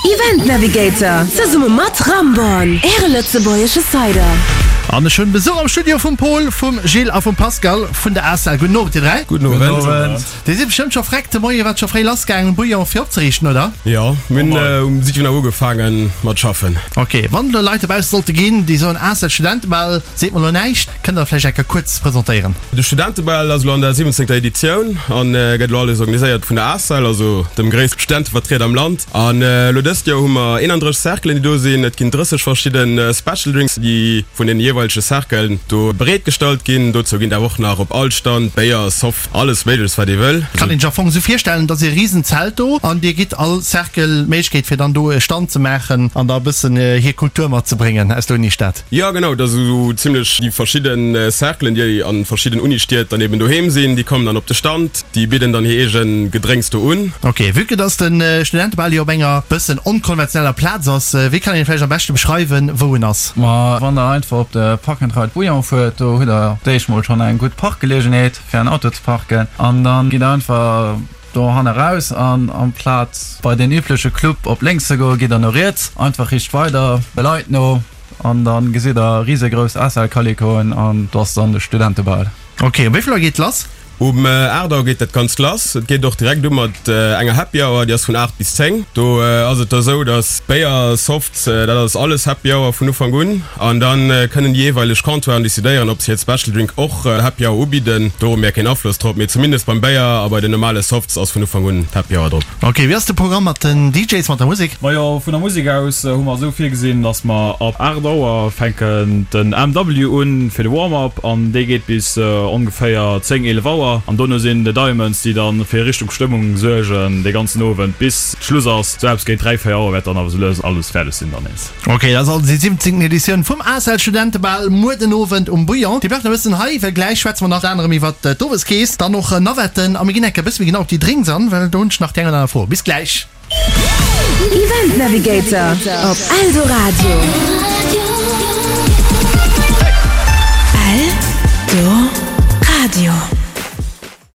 Event Navigator zesumme mat Ramborn, Äre lëtzebuergesche Cider. An ech hunn Besuch am Studio vum Paul, vum Gilles a vum Pascal vun der ACEL. Gudden Owend dir 3. Gudden Owend. Dir sidd bestëmmt scho freck de Moien, wat scho fréi lass gaangen um Bouillon fir opzeriichten, oder? Jo, mir hunn um 7 Auer ugefaangen mat schaffen. Ok, wann elo Leit dobausse sollte ginn, déi soen ACEL Studentebal seet mer elo näischt, kënnt der vläicht eng Kéier kuerz presentéieren? De Studentebal ass elo an der 17. Editioun an gëtt elo alles organiséiert vun der ACEL, also dem gréisste Studentevertrieder am Land. An elo dëst Joer hu mer 31 Cerclen, déi do sinn. Et ginn 30 verschidde Special Drinks, déi vun den jeeweilege Cerclen do bereet gestallt ginn. Dozou ginn et awer och nach op all Stand Béier, Soft, alles Méigleches wat ee wëll. Kann een sech am Fong esou virstellen, dass ee Risenzelt do an dir gitt all Cercle d'Méiglechkeet fir dann do e Stand ze maachen an da e bëssen hir Kultur matzebréngen aus der Unistad? Jo genau, et ass esou zimlech déi verschidde Cerclen, déi an verschidden Unistied dann eben doheem sinn, déi kommen dann op de Stand, déi bidden dann hir eegen Gedrénks do un. Ok, vue que dass de Studentebal jo op enger bëssen onkonventioneller Plaz ass, wéi kann een vläicht am beschte beschreiwen, wou en ass? Ma wann der einfach op de Park and Ride Bouillon fuert, do hutt der d'éischt mol schonn eng gutt Parkgeleegenheet fir en Auto ze parken an dann gitt der einfach do hanne raus an amplaz bei den übleche Club op lénks ze goen, gitt der no riets, einfach riicht weider de Leit no. An dann gesitt der risegrouss SL-Kalikoen an do ass dann de Studentebal. Ok, um wéi vill Auer geet lass? Um 8 Auer geet dat Ganzt lass. Et geet och direkt u mat enger Happy Hour, déi ass vun 8 bis 10. Do ass et da sou, dass Béier, Softs, dat ass alles Happy Hour vun Ufank un. An da kënnen déi jeeweileg Comptoiren decidéieren, ob se hiert Special Drink och Happy Hour ubidden. Do hu mir keen Afloss drop, mee zumindest beim Béier a bei den normale Softs ass vun Ufank un d'Happy Hour drop. Ok, wéi ass de Programm mat den DJs, mat der Musek? Majo, vun der Musek aus hu mer esou virgesinn, dass mer ab 8 Auer fänken den MW un fir de Warm-up an dee geet bis ongeféier 10, 11 Auer an dono sinn The Diamonds, déi dann fir Richtung Stëmmung suergen dee ganzen Owend bis Schluss ass. Sou eppes géint 3, 4 Auer wäert dann awer sou lues alles fäerdeg sinn dann nees. Ok, dat ass also déi 17. Editioun vum ACEL Studentebal muer den Owend um Bouillon. Dir bleift nach e bëssen hei, well gläich schwätze mer nach anerem iwwert d'Oweskeess, dann och Navetten a mir ginn enke bësse méi genau op déi Drinks an, well do hunn ech nach déi eng oder aner Fro. Bis gläich! Event Navigator op Eldoradio.